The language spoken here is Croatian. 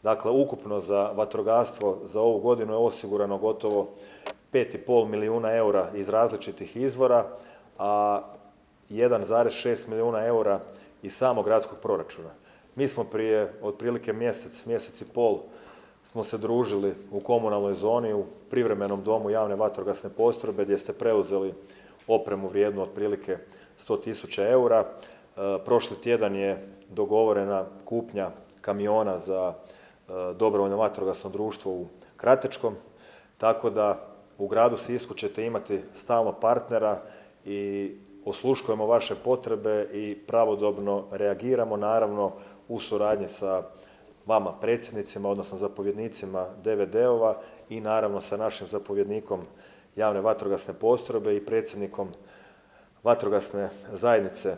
Dakle, ukupno za vatrogastvo za ovu godinu je osigurano gotovo 5,5 milijuna eura iz različitih izvora, a 1,6 milijuna eura iz samog gradskog proračuna. Mi smo prije otprilike mjesec i pol smo se družili u komunalnoj zoni u privremenom domu javne vatrogasne postrojbe gdje ste preuzeli opremu vrijednu otprilike 100.000 eura. Prošli tjedan je dogovorena kupnja kamiona za dobrovoljno vatrogasno društvo u Kratečkom, tako da u gradu Sisku ćete imati stalno partnera i osluškujemo vaše potrebe i pravodobno reagiramo, naravno u suradnji sa vama predsjednicima, odnosno zapovjednicima DVD-ova i naravno sa našim zapovjednikom javne vatrogasne postrojbe i predsjednikom vatrogasne zajednice